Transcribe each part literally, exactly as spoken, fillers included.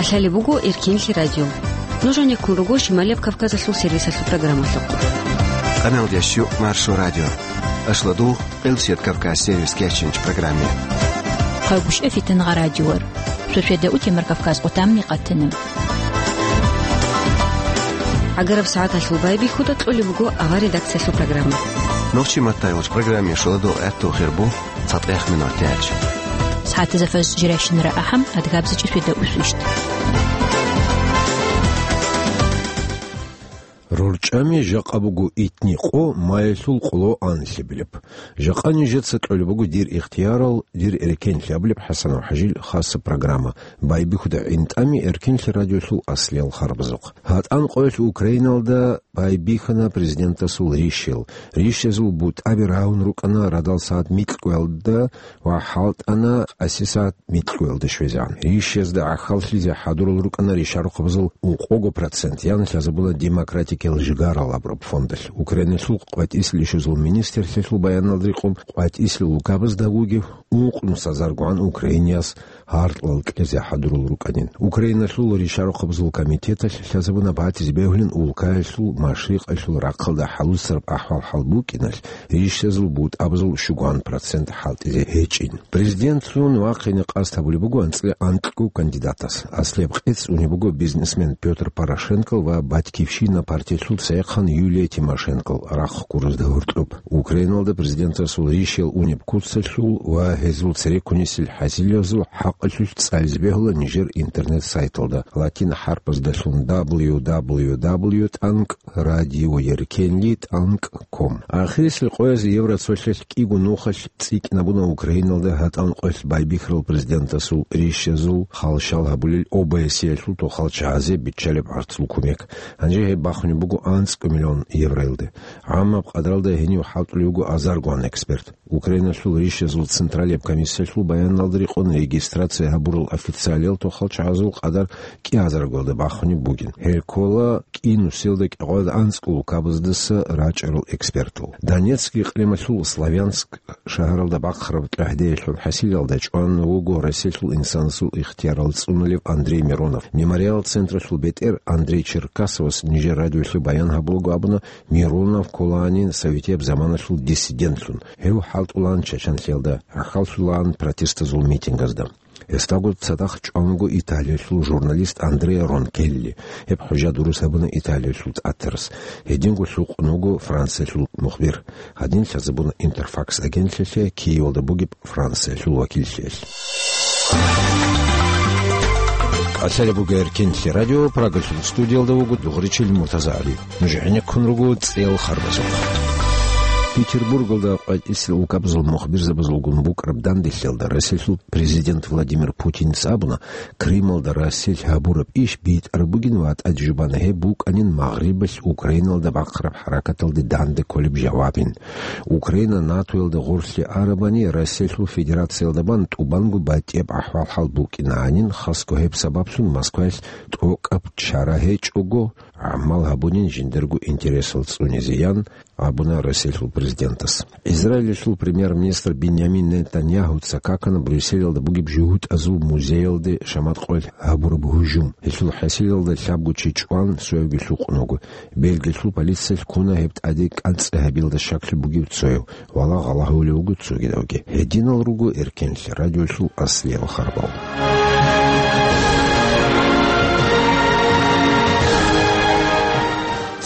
КӀалъалеб буго Эркинлъи радио. Нуж гьанеккун руго Шималияб Кавказалъул сервисалъул программалъухъ. Къаналдеш Маршо радио. Ашладу, Къилсият Кавказ сервис кечинч программе. Хъагушев Фитангъа радиор. Шошеда утемар Кавказ къутамни къатана. ГӀагараб сагӀаталъул байбихьуда кьолеб буго авар редакциялъул программа. Нохчи маттайгъуч программе шоладо гӀатту хирбу. ЦатӀех минут тяч. СагӀатазда фаз жирайщинара ахӀам, адгабзичӀи светда усвищт. РорчӀами жакъа буго итни къо маялъул къоло анлъабилеб. Жакъа нижеца кьолеб буго дир ихтиярал, дир эркенлъи абулеб ХӀасанов ХӀажил хасаб программа. Байбихьуда гӀинтӀами Эркенлъи радиолъул аслиял харбазухъ. ГьатӀан къоялъ Украиналда байбихьана президентасул рищел. Рищезул бутӀаби рагьун рукӀана радал сагӀат микьгоялда ва хӀалтӀана къаси сагӀат микьгоялда щвезегӀан. Рищезда гӀахьаллъизе хӀадурал рукӀана ришарухъабазул ункъого процент, яна лъазабуна демократикиял жигарал абураб фондалъ. Украиналъул къватӀисел ишазул министрлъиялъул баяналда рекъон къватӀисел улкабазда вугев ункънус азаргогӀан украинияс гьаркьлъал кьезе хӀадурал рукӀанин. Украиналъул ришарухъабазул комитеталъ лъазабуна батизе бегьулин улкаялъул машрикъалъул рахъалда хӀалуцараб ахӀвал-хӀал букӀиналъ, рищезул бутӀабазул щугоан процент хӀалтӀизе гьечӀин. Президентлъун вахъине къасд гьабулеб буго анцӀила анкьго кандидатас. Аслияб къец унеб буго бизнесмен Пётр Порошенкол ва «Батькивщина» партиялъул цайхъан Юлия Тимошенкол рахъ гурузда гьоркьоб. Украиналда президентасул рищел унеб куцалъул ва гьезул цереккунесел хӀасилазул хӀакъалъулъ цӀализе бегьула нижер интернет-сайталда, латин хӀарпаздалъун: дабл ю дабл ю дабл ю тӀанкӀ радиоеркенли тӀанкӀ ком. Ахирисел къояз евроцолъалъ кӀиго нухалъ цӀикӀкӀинабуна Украиналда гьатӀан къоялъ байбихьарал президентасул рищезул халщал гьабулел ОБСЕ-ялъул тохал чагӀазе биччалеб гӀарцул кумек. Гьанже гьеб бахунеб буго анцӀго миллион евроялде. ГӀаммаб къадралда гьенив хӀалтӀулев вуго азаргогӀан эксперт. Украиналъул рищезул централияб комиссиялъул баяналда рекъон регистрация гьабурал официалиял тохал чагӀазул къадар кӀиазаргоялда бахунеб бугин. Гьел ккола кӀинусиялда кӀикъоялда анцӀго улкабаздаса рачӀарал экспертал. Донецк рекъелъул Славянск шагьаралда бахъараб тӀагӀдеялъул хӀасилалда чӀван вуго Россиялъул инсанасул ихтиярал цӀунулев Андрей Миронов. Мемориал централъул бетӀер Андрей Черкасовас нижер радиолъе баян гьабулаго абуна, Миронов кколаанин советияб заманалъул диссидентлъун. Гьев хӀалтӀулаан Чачанлъиялда, гӀахьаллъулаан протестазул митингазда. Гьесдаго цадахъ чӀван вуго Италиялъул журналист Андреа Ронкелли. Гьеб хӀужа дурус гьабуна Италиялъул тӀатарас. Гьединго лъукъун вуго Франциялъул мухбир. Гьадин лъазабуна Интерфакс агентлъиялъе Киевалда бугеб Франциялъул вакиллъиялъ. КӀалъалеб буго Эркенлъи радио, Прагалъул студиялда вуго Дугъричил МуртазагӀали. Нуж гӀенеккун руго цӀел харбазухъ. Петербургалда къватӀисел улкабазул мухбирзабазулгун букӀараб данделъиялда Россиялъул президент Владимир Путинец абуна, Крымалда Россиялъ гьабураб иш битӀараб бугин ва тӀаде жубана гьеб букӀанин Магърибалъ Украиналда бахъараб хӀаракаталде данде кколеб жавабин. Украина НАТОялда гъорлъе арабани, Россиялъул Федерациялда бан тӀубанго батӀияб ахӀвал-хӀал букӀинанин, хасго гьеб сабаблъун Москваялъ тӀокӀаб чара гьечӀого, гӀамал гьабунин жиндирго интересал цӀунизеян, абуна Россиялъул президентас. Израилалъул премьер-министр Биньямин Нетаньяхуца какана Брюсселалда бугеб жугьутӀазул музеялде шамат къоялъ гьабураб гьужум. Гьелъул хӀасилалда лъабго чи чӀван, цоявги лъукъун вуго. Бельгиялъул полициялъ ккуна гьеб тӀаде кӀанцӀи гьабиялда щаклъи бугев цояв, валагь гъала гьавулев вуго цогидавги. Гьединал руго Эркенлъи радиолъул аслиял харбал.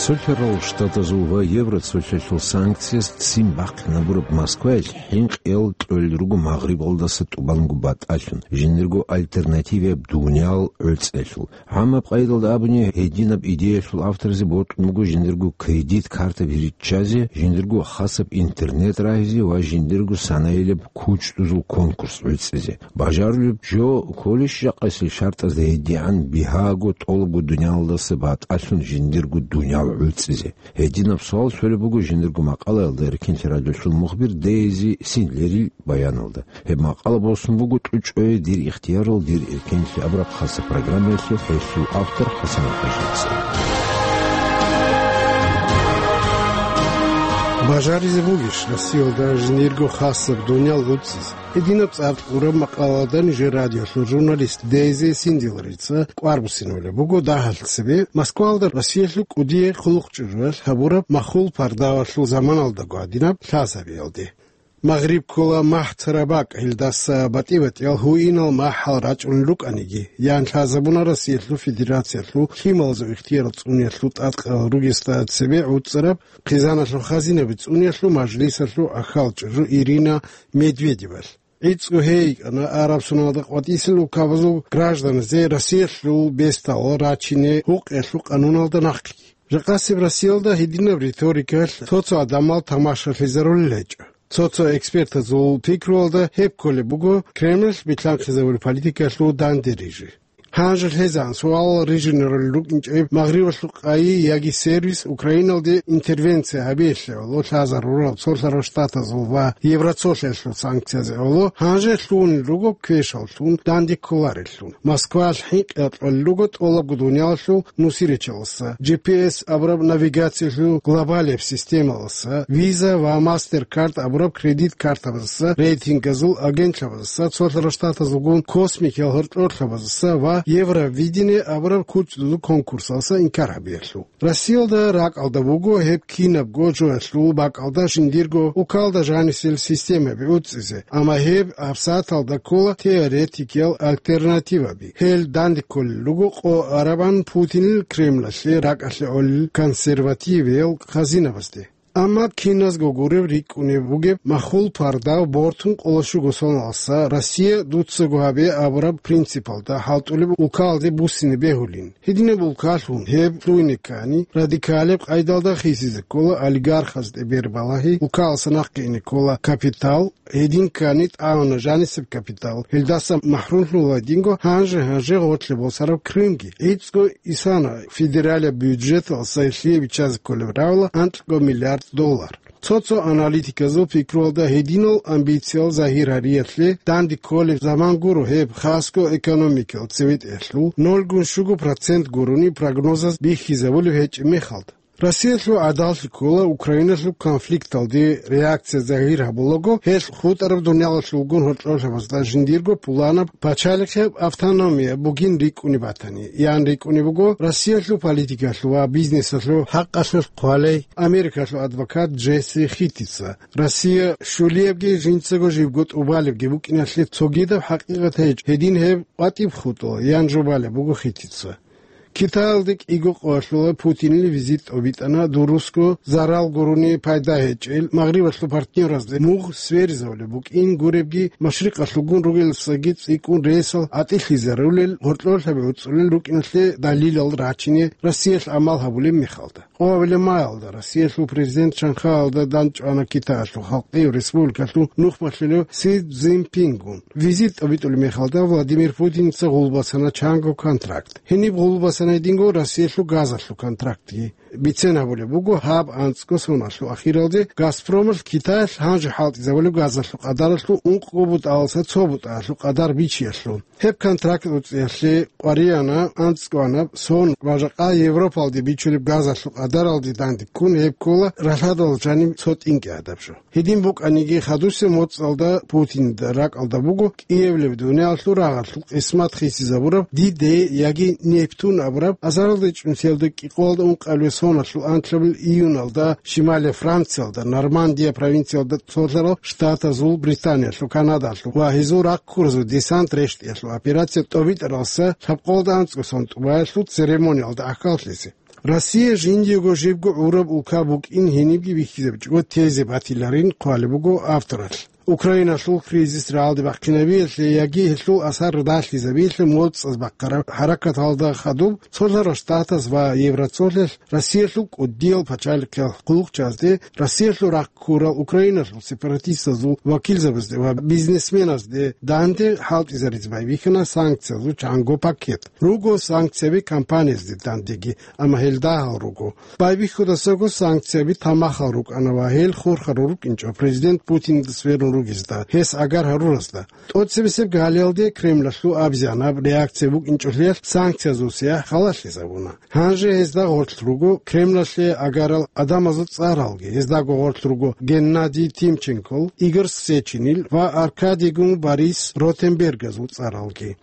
Цолъарал Штатазул ва Евроцолъалъул санкцияс ццин бахъинабураб Москваялъ хӀинкъиял кьолел руго Магърибалдаса тӀубанго батӀалъун, жиндирго альтернативаяб дуниял гӀуцӀиялъул. ГӀаммаб къайдалда абуни, гьединаб идеялъул авторзи бокьун буго жиндирго кредит картаби риччазе, жиндирго хасаб интернет рагьизе ва жиндирго санаилаб кучӀдузул конкурс гӀуцӀизе. Бажарулеб жо кколищ жакъасел шартӀазда гьедигӀан бигьаго тӀолабго дуниялдаса батӀалъун жиндирго дуниял гӀуцӀизе? Гьединаб суал щолеб буго жиндирго макъалаялда Эркенлъи радиолъул мухбир Дейзи Синлерил баяналда. Гьеб макъала босун буго ТӀучӀое дир ихтиярал, дир эркенлъи абураб хасаб программаялъе, гьелъул автор ХӀасан ХӀажица. Бажаризе бугищ Россиялда жиндирго хасаб дуниял гӀуцӀизе? Гьединаб цӀар кьураб макъалаялда нижер радиолъул журналист Дейзи Синдиларица кӀвар буссинабулеб буго дагьалъ цебе Москваялда Россиялъул кӀудияй хъулухъ чӀужуялъ гьабураб махул пардавалъул заманалдаго гьадинаб лъазабиялде. Магъриб ккола махӀ цараб бакӀ, гьелдаса батӀи-батӀиял гьуинал махӀал рачӀунел рукӀаниги, ян лъазабуна Россиялъул Федерациялъул лъималазул ихтияр цӀуниялъул тӀадкъал ругесда цебе гӀуцӀараб хъизаналъул хазинаби цӀуниялъул мажлисалъул ахал чӀужу Ирина Медведевалъ. ГӀицӀго гьей йикӀана араб соналда къватӀисел улкабазул гражданазде Россиялъул бесдал рачине гьукъиялъул къануналда нахъги. Жакъасеб Россиялда гьединаб риторикалъ цо-цо гӀадамал тамашалъизарулел гьечӀо. Цо-цо экспертазул пикруялда гьеб кколеб буго Кремлалъ билъанхъизабураб политикалъул данде рижи. Гьанже лъезан суал рижинарулел рукӀинчӀеб Магърибалъул къайи яги сервис Украиналде интервенция гьабиялъе гӀоло лъазарурал Цолъарал Штатазул ва Евроцолъиялъул санкциязе гӀоло гьанже лъугьунел руго квешаллъун данде кколареллъун. Москваялъ хӀинкъи гьаркьалел руго тӀолабго дуниялалъул нусирачаласа, G P S абураб навигациялъул глобалияб системаласа, Visa ва MasterCard абураб кредит картабазаса, рейтингазул агентлъабазаса, Цолъарал Штатазулгун космикиял гьоркьорлъабазаса ва Евровидение абураб кучӀдузул конкурсаласа инкар гьабиялъул. Россиялда ракӀалда буго гьеб кинабго жоялъул бакӀалда жиндирго улкалда жанисел системаби уцӀизе, амма гьеб гьабсагӀаталда ккола теоретикиял альтернативаби. Гьел данде кколел руго къо арабан Путинил Кремлалъе ракӀалъе гӀолел консервативиял хазинабазде. Амма киназго гуреб рикӀкӀунеб бугеб махул пардав бортун къоло щуго соналдаса Россия дуцаго гьабе абураб принципалда хӀалтӀулеб улкалде буссине бегьулин. Гьединаб улкалъун гьеб лъугьине ккани, радикалеб къайдалда хисизе ккола олигархазде бербалагьи, улкаласа нахъе ине ккола капитал, гьедин ккани тӀагӀуна жанисеб капитал, гьелдаса махрумлъула динго гьанже-гьанже гъорлъе босараб Крымги. ГӀицӀго исана федералияб бюджеталъ сайлъие биччазе кколеб равла анкьго миллиард доллар. Цо-цо аналитиказул пикруялда гьединал амбициял загьир гьариялъе данде кколеб заман гуро гьеб хасго экономикал цеветӀеялъул, нолгун щуго процент гурони прогнозаз бихьизабулеб гьечӀеб мехалда. Россиялъул гӀадаллъи ккола Украиналъул конфликталде реакция загьир гьабулаго, гьелъ хутӀараб дуниялалъулгун гьоркьорлъабазда жиндирго пуланаб пачалихъеб автономия бугин рикӀкӀунеб батани, ян рикӀкӀунеб буго Россиялъул политикалъул ва бизнесалъул хӀакъалъулъ хъвалей Америкалъул адвокат Джесси Хитица. Россия щулиябги жинцаго жибго тӀубалебги букӀиналъе цогидаб хӀакъикъат гьечӀ, гьедин гьеб къватӀиб хутӀула, ян жубалеб буго Хитица. Китаялде кӀиго къоялъула Путинил визит тӀобитӀана, дурусго зарал гурони пайда гьечӀел, Магърибалъул партнеразде мугъ сверизавулеб букӀин гуребги, машрикъалъулгун ругеласаги цӀикӀкӀун ресал гӀатӀилъизарулел, гьоркьорлъаби гӀуцӀулел рукӀиналъе далилал рачине Россиялъ гӀамал гьабулеб мехалда. Къоабилеб маялда Россиялъул президент Шанхайалда данчӀвана Китаялъул Халкъияв Республикалъул нухмалъулев Си Цзиньпингун. Визит тӀобитӀулеб мехалда Владимир Путинца гъулбасана чанго контракт. Гьениб гъулбасана гьединго Россиялъул газалъул контрактги. Бицен гьабулеб буго, гьаб анцӀго соналъул ахиралде Газпромалъ Китаялъ гьанже хӀалтӀизабулеб газалъул къадаралъул ункъго бутӀаласа цо бутӀаялъул къадар бичиялъул. Гьеб контракт уцӀиялъе къваригӀана анцӀгоанаб сон ва жакъа Европалде бичулеб газалъул къадаралде данде ккун гьеб ккола ралъадал жаниб цо тӀинкӀи гӀадаб жо. Гьедин букӀаниги, хадусеб моцӀалда Путинда ракӀалда буго кӀиабилеб дуниялалъул рагъалъул къисмат хисизабураб диде яги Нептун абураб азаралда чӀунтиялда кӀикъоялда ункъабилеб соналъул анлъабилеб июналда щималияб Франциялда, Нормандия провинциялда цолъарал штатазул, Британиялъул, Канадалъул ва гьезул рахъ ккуразул десант рещтӀиялъул операция тӀобитӀаралдаса лъабкъоялда анцӀго сон тӀубаялъул церемониялда ахӀаллъизе. Россия жиндиего жибго гӀураб улка букӀин гьенибги бихьизабичӀого тезе батиларин хъвалеб буго авторалъ. Украиналъул кризис рагӀалде бахъинабиялъе яги гьелъул асар далъизабиялъе моцӀаз бахъараб хӀаракаталда хадуб, Цолъарал Штатаз ва Евроцолъиялъ Россиялъул кӀудиял пачалихъиял хъулухъчазде, Россиялъул рахъ ккурал Украиналъул сепаратистазул вакилзабазде ва бизнесменазде данде хӀалтӀизаризе байбихьана санкциязул чанго пакет. Руго санкцияби компаниязде дандеги, амма гьел дагьал руго. Байбихьудасаго санкцияби тамахал рукӀана ва гьел хурхарал рукӀинчӀо президент Путиндас верун ругезда, гьес агар гьаруразда. ТӀоцебесеб гьалиялде Кремлалъул абизанаб реакция букӀинчӀолъиялъ санкциязул сияхӀ халалъизабуна. Гьанже гьезда гъорлъ руго Кремлалъе агарал гӀадамазул цӀаралги, гьездаго гъорлъ руго Геннадий Тимченкол, Игорь Сеченил ва Аркадийгун Борис Ротенбергазул цӀаралги.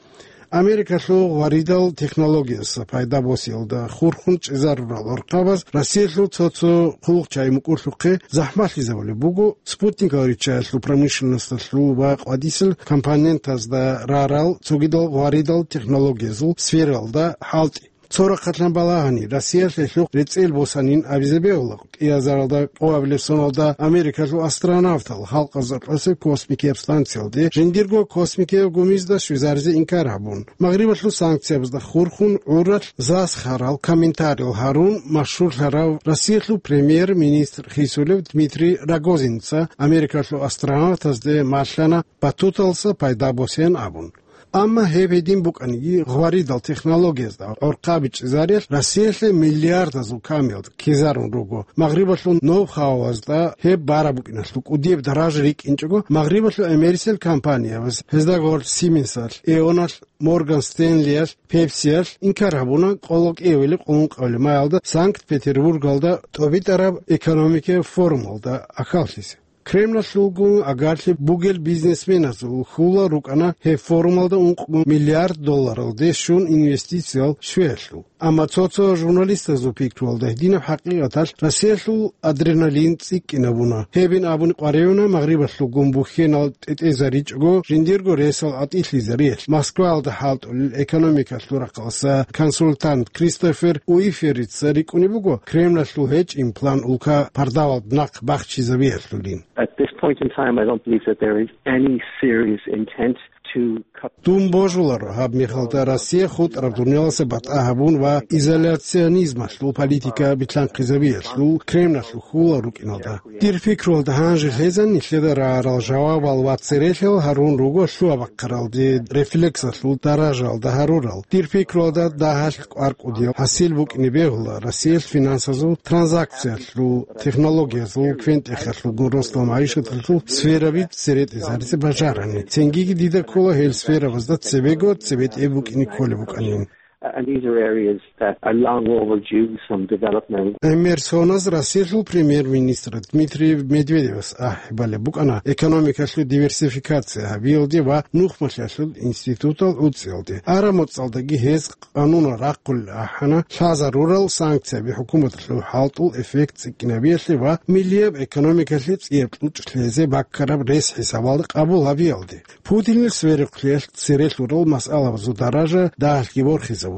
Америкалъул гъваридал технологияса пайда босиялда хурхун чӀезарурал гӀурхъабаз Россиялъул цо-цо хъулухъчагӀи мукӀурлъухъе захӀмалъизабулеб буго спутникал риччаялъул промышленносталъул ва къватӀисел компонентазда рарал цогидал гъваридал технологиязул сфералда хӀалтӀи. Цо рахъалъан балагьани, Россиялъ гьелъухъ рецӀел босанин абизе бегьула. КӀиазаралда къоабилеб соналда Америкалъул астронавтал халкъазда кьосеб космикияб станциялде жиндирго космикияб гумизда щвезаризе инкар гьабун, Магърибалъул санкциябазда хурхун гӀуралъ засхарал комментариял гьарун машгьурлъарав Россиялъул премьер-министр хисулев Дмитрий Рогозинца Америкалъул астронавтазде малъана батуталса пайда босеян абун. Амма гьеб гьедин букӀаниги, гъваридал технологиязда гӀурхъаби чӀезариялъ Россиялъе миллиардазул камиялда ккезарун руго. Магърибалъул ноу-хауазда гьеб бараб букӀиналъул кӀудияб даража рикӀкӀинчӀого, Магърибалъул эмерисел компаниябаз, гьезда гъорлъ Сименсалъ, Эоналъ, Морган Стенлиялъ, Пепсиялъ инкар гьабуна къоло кӀиабилеб къуллункъабилеб маялда Санкт-Петербургалда тӀобитӀараб экономикаяб форумалда ахӀаллъизе. Кремлалъулгун агарлъи бугел бизнесменазул хьула рукӀана гьеб форумалда ункъго миллиард долларалде щун инвестициял щвеялъул. Амма цо-цо журналистазул пикруялда гьединаб хӀакъикъаталъ Россиялъул адреналин цӀикӀкӀинабуна. Гьебин абуни къваригӀуна Магърибалъулгун бухьенал тӀетӀезаричӀого жиндирго ресал гӀатӀилъизариялъ, Москваялда хӀалтӀулел экономикалъул рахъалъа консультант Кристофер Уиферица рикӀкӀунеб буго, Кремлалъул гьечӀин план улка пардавалда нахъ бахчизабиялъулин. At this point in time, I don't believe that there is any serious intent to cut. Дун божуларо гьаб мехалда Россия хутӀараб дунияласа батӀа гьабун ва изоляционизмалъул политика билълъанхъизабиялъул Кремлалъул хьула рукӀиналда. Дир пикруялда гьанже лъезан нилъеда рагӀарал жавабал ва церехъал гьарун руго лъугьа-бахъаралде рефлексалъул даражаялда гьарурал. Дир пикруялда дагьалъ кӀвар-кӀудиял хӀасил букӀине бегьула Россиялъ финансазул транзакциялъул, технологиязул, квен-тӀехалъулгун росдал магӀишаталъул сфераби цере тӀезаризе бажарани. Цинги дида ккола гьел сферабазда цебего цебетӀе букӀине кколеб букӀанин. And these are areas that are long overdue some development. ГӀемер соназ Россиялъул премьер-министр Дмитрий Медведевас ахӀи балеб букӀана экономикалъул диверсификация гьабиялде ва нухмалъиялъул институтал гӀуцӀиялде. Ара моцӀалдаги гьез къанунал рахъулел ахӀана лъазарурал санкцияби хӀукуматалъул хӀалтӀул эффект цӀикӀкӀинабиялъе ва миллияб экономикалъе цӀияб кьучӀ лъезе баккараб рес хӀисабалда къабул гьабиялде. Путинил сверухълъиялъ церелъурал масъалабазул даража дагьалъги борхизабуна.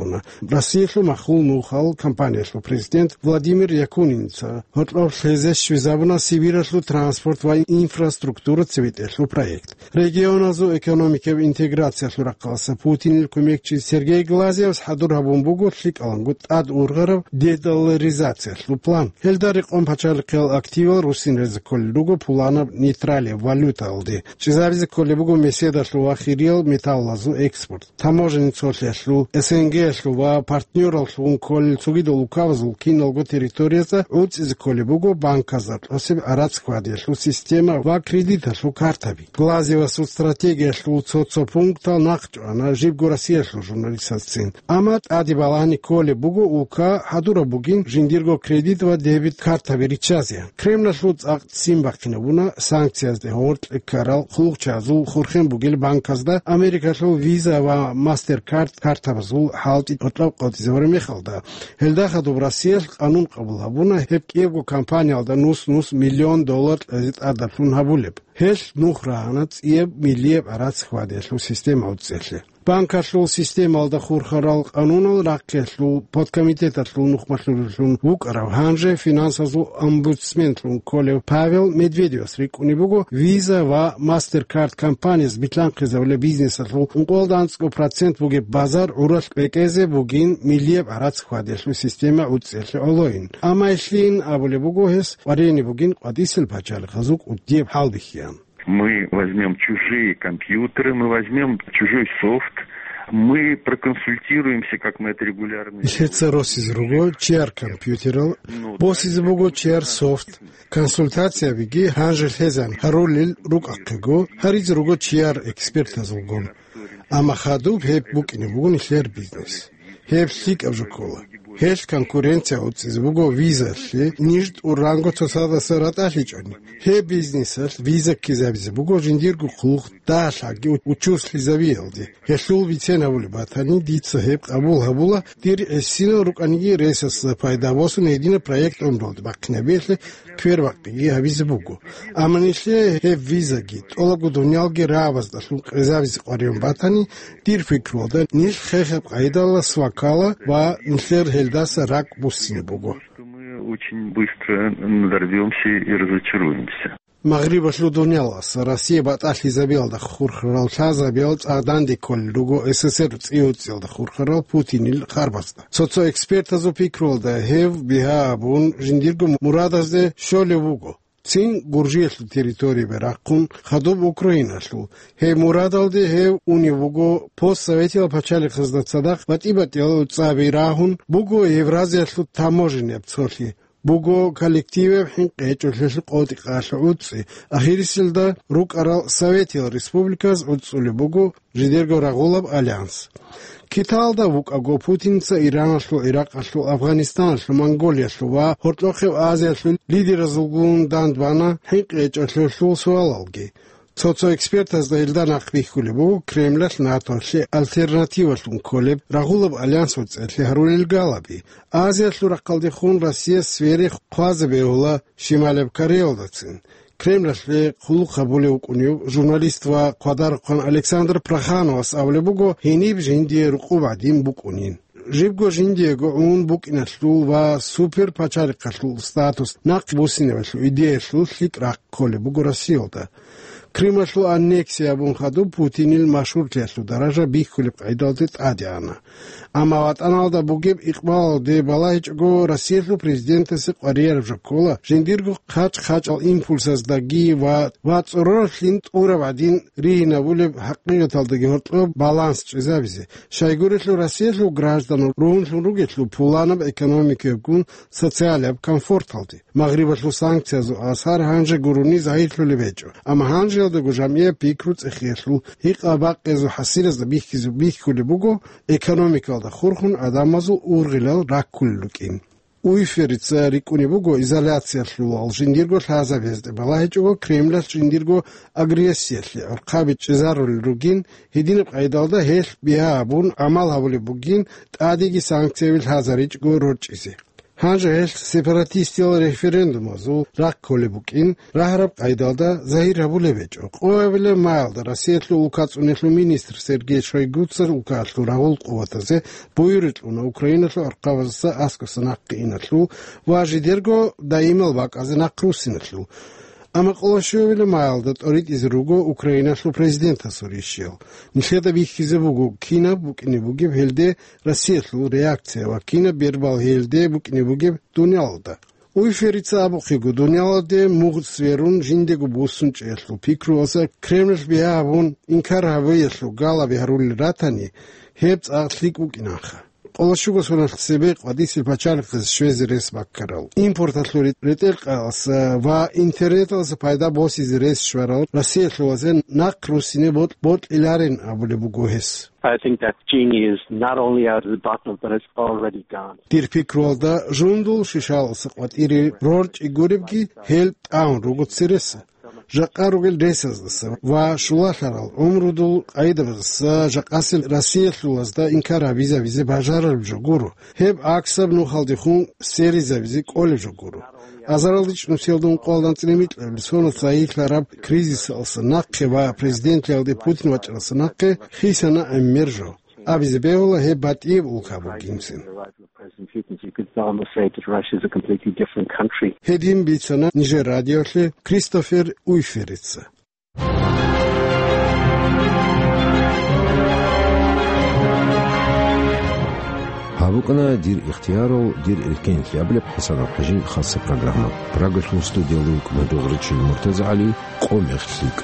Россиялъул махул нухал компаниялъул президент Владимир Якунинца гьоркьоб лъезе щвезабуна Сибиралъул транспорт ва инфраструктура цебетӀелъул проект. Регионазул экономикаб интеграциялъул рахъалъа Путинил кумекчи Сергей Глазьевас хӀадур гьабун буго лъикӀаланго тӀад ургъараб дедолларизациялъул план. Гьелда рекъон пачалихъиял активал руссинразе кколел руго пуланаб нейтралияб валютаялде. ЧӀезабизе кколеб буго меседалъул ва хириял металлазул экспорт. Таможенный цолъиялъул, СНГ-ялъул ва партнёралъун кколел цогидал улкабазул киналго территориязда гӀуцӀизе кколеб буго банказда кьосеб гӀарац хьвадиялъул система ва кредиталъул картаби. Глазьевасул стратегиялъул цо-цо пунктал нахъчӀвана жибго Россиялъул журналистазцин. Амма тӀаде балагьани кколеб буго улка хӀадураб бугин жиндирго кредит ва дебит картаби риччазе. Кремлалъул цӀакъ ццин бахъинабуна санкциязде гьоркье ккарал хъулухъчазул хурхен бугел банказда Америкалъул Visa ва MasterCard картабазул хӀалтӀи гьоркьоб къотӀизабураб мехалда. Гьелда хадуб Россиялъ къанун къабул гьабуна гьеб кӀиябго компаниялда нус-нус миллион доллар кьезе тӀадаблъун гьабулеб. Гьелъ нух рагьана цӀияб миллияб гӀарац хьвадиялъул система гӀуцӀиялъе. Банкалъул системалда хурхарал къанунал рахъиялъул подкомитеталъул нухмалъулеллъун вукӀарав, гьанже финансазул омбудсменлъун кколев Павел Медведевас рикӀкӀунеб буго Visa ва MasterCard компанияз билълъанхъизабулеб бизнесалъул ункъоялда анцӀго процент бугеб базар гӀуралъ бекӀезе бугин миллияб гӀарац хьвадиялъул система гӀуцӀиялъе гӀолойин. Амма гьелъин абулеб буго гьес къваригӀине бугин къватӀисел пачалихъазул кӀудияб хӀалбихьиян. Мы возьмём чужие компьютеры, мы возьмём чужой софт, Мы проконсультируемся, как мы это регулярно делаем. Лъеца росизе руго чияр компьютерал, босизе буго чияр софт. Консультациябиги гьанже лъезан гьарулел рукӀахъего, гьаризе руго чияр экспертазулгун. Амма хадуб гьеб букӀине буго нилъер бизнес. Гьеб лъикӀаб жо ккола. Гьелъ конкуренция уцӀизе буго визалъе, ниж тӀуранго цоцадаса ратӀалъичӀони. Гьеб бизнесалъ виза ккезабизе буго жиндирго хъулухъ дагьалъаги учуслъизабиялде. Гьелъул бицен гьабулеб батани, дица гьеб къабул гьабула, дир гӀисинал рукӀаниги ресасда пайда босун гьединаб проект гӀумруялде бахъинабиялъе квербакъиги гьабизе буго. Амма нилъее гьеб визаги, тӀолабго дуниялги рагӀабаздалъун къезабизе къваригӀун батани, дир пикруялда, нилъ хехаб къайдалас ваккала ва нилъер гьелдаса ракӀ буссине буго. Что мы очень быстро надорвёмся и разочаруемся. Магърибалъул дуниялас Россия батӀалъизабиялда хурхарал лъазабиял цӀакъ данде кколел руго СССР цӀи-уцӀиялда хурхарал Путинил харбазда. Цо-цо экспертазул пикруялда, гьев бигьа абун жиндирго мурадазде щолев вуго. Цин Гуржиялъул территориябе рахъун, хадуб Украиналъул. Гьеб мурадалде гьев унев вуго постсоветиял пачалихъазда цадахъ батӀи-батӀиял цӀаби рагьун буго Евразиялъул таможеннияб цолъи. Буго коллективаб хӀинкъи гьечӀолъиялъул къотӀи-къалъи гӀуцӀи, ахириселда рукӀарал Советиял республиказ гӀуцӀулеб буго жидерго рагъулаб альянс. Киталда вукӀаго Путинца Ираналъул, Иракъалъул, Афганистаналъул, Монголиялъул ва Гьоркьохъеб Азиялъул лидеразулгун дандбана хӀинкъи гьечӀолъиялъул суалалги. Цо-цо экспертазда гьелда нахъ бихьулеб буго Кремлалъ НАТОлъе альтернативалъун кколеб рагъулаб альянс вацӀцӀалъи гьарулел галаби. Азиялъул рахъалдехун Россияс сфере хъвазе бегьула Шималаб Кореялдацин. Кремлалъе хъулухъ гьабулев вукӀунев журналист ва хъвадарухъан Александр Прохановас абулеб буго, гьениб жиндие рукъуб гӀадин букӀунин. Жибго жиндиего гӀун букӀиналъул ва суперпачалихъалъул статус нахъ буссинабалъул идеялъул лъикӀ рахъ кколеб буго Россиялда. Крималъул аннексия абун хадуб Путинил машгьурлъиялъул даража бихьулеб къайдалде тӀаде ана. Амма ватӀаналда бугеб икъбалалде балагьичӀого, Россиялъул президентасе къварияраб жо ккола жиндирго хъач-хъачӀал импульсаздаги ва, ва цӀороралъин тӀураб гӀадин ригьинабулеб хӀакъикъаталдаги гьоркьоб баланс чӀезабизе. Щайгурелъул Россиялъул гражданал ругьунлъун ругелъул пуланаб экономикаябгун социалияб комфорталде. Магърибалъул санкциязул асар гьанже гурони загьирлъулеб гьечӀо, амма гьанжеялдаго жамгӀияб пикру цӀехиялъул гьикъа-бакъиязул хӀасилазда бихьизе бихьулеб буго экономикалда хурхун гӀадамазул ургъилал раккулел рукӀин. Уйферица рикӀкӀунеб буго изоляциялъулал жиндирго лъазабиязде балагьичӀого Кремлалъ жиндирго агрессиялъе гӀурхъаби чӀезарулел ругин, гьединаб къайдалда гьелъ бигьа абун гӀамал гьабулеб бугин, тӀадеги санкцияби лъазаричӀого рорчӀизе. Гьанже гьелъ сепаратистиял референдумазул рахъ кколеб букӀин, рагьараб къайдалда загьир гьабулеб гьечӀо. Къоабилеб маялда Россиялъул улкацӀунелъул министр Сергей Шойгуца улкалъул рагъул къуватазе буюрикь кьуна Украиналъул архъабазаса аскӀоса нахъе иналъул ва жидерго даимал бакӀазе нахъ руссиналъул. Амма къоло щуабилеб маялда тӀоритӀизе руго Украиналъул президентасул ришиял. Нилъеда бихьизе буго, кинаб букӀине бугеб гьелде Россиялъул реакция ва кинаб бербал гьелде букӀине бугеб дуниялалда. Уйферица абухъего, дуниялалде мугъ сверун жиндего буссун чӀеялъул пикруялъа Кремлалъ бигьа абун инкар гьабиялъул галаби гьарулел ратани, гьеб цӀакъ лъикӀ букӀинанха. Къоло щуго соналъ цебе къватӀисел пачалихъаз щвезе рес баккарал, импорталъул ретӀел-къаялъа ва интернеталъа пайда босизе рес щварал Россиялъулазе нахъ руссине бокь-, бокьиларин абулеб буго гьес. I think that genie is not only out of the bottle, but it's already gone. Дир пикруялда, жундул шишалъуса къватӀире рорчӀи гуребги, гьел тӀагӀун руго цереса. Жакъа ругел ресаздаса ва щулалъарал гӀумрудул къайдабаздаса жакъасел Россиялъулазда инкар гьабизабизе бажарараб жо гуро. Гьеб гӀаксаб нухалдехун серизабизе кӀолеб жо гуро. Азаралда чӀунусиялда ункъоялда анцӀила микьабилеб соналъ загьирлъараб кризисалъа нахъе ва президентлъиялде Путин вачӀаралъа нахъе хисана гӀемер жо. Абизе бегьула гьеб батӀияб улка бугинцин. President Putin, so you could almost say that Russia is a completely different country. Гьедин бицана нижер радиолъе Кристофер Уйферица. Гьаб букӀана «Дир ихтиярал, дир эркенлъи» абулеб ХӀасан ХӀажин хасса программа. Прагалъул студиялда вукӀана дугӀричил МуртазагӀали, къо мех лъикӀ.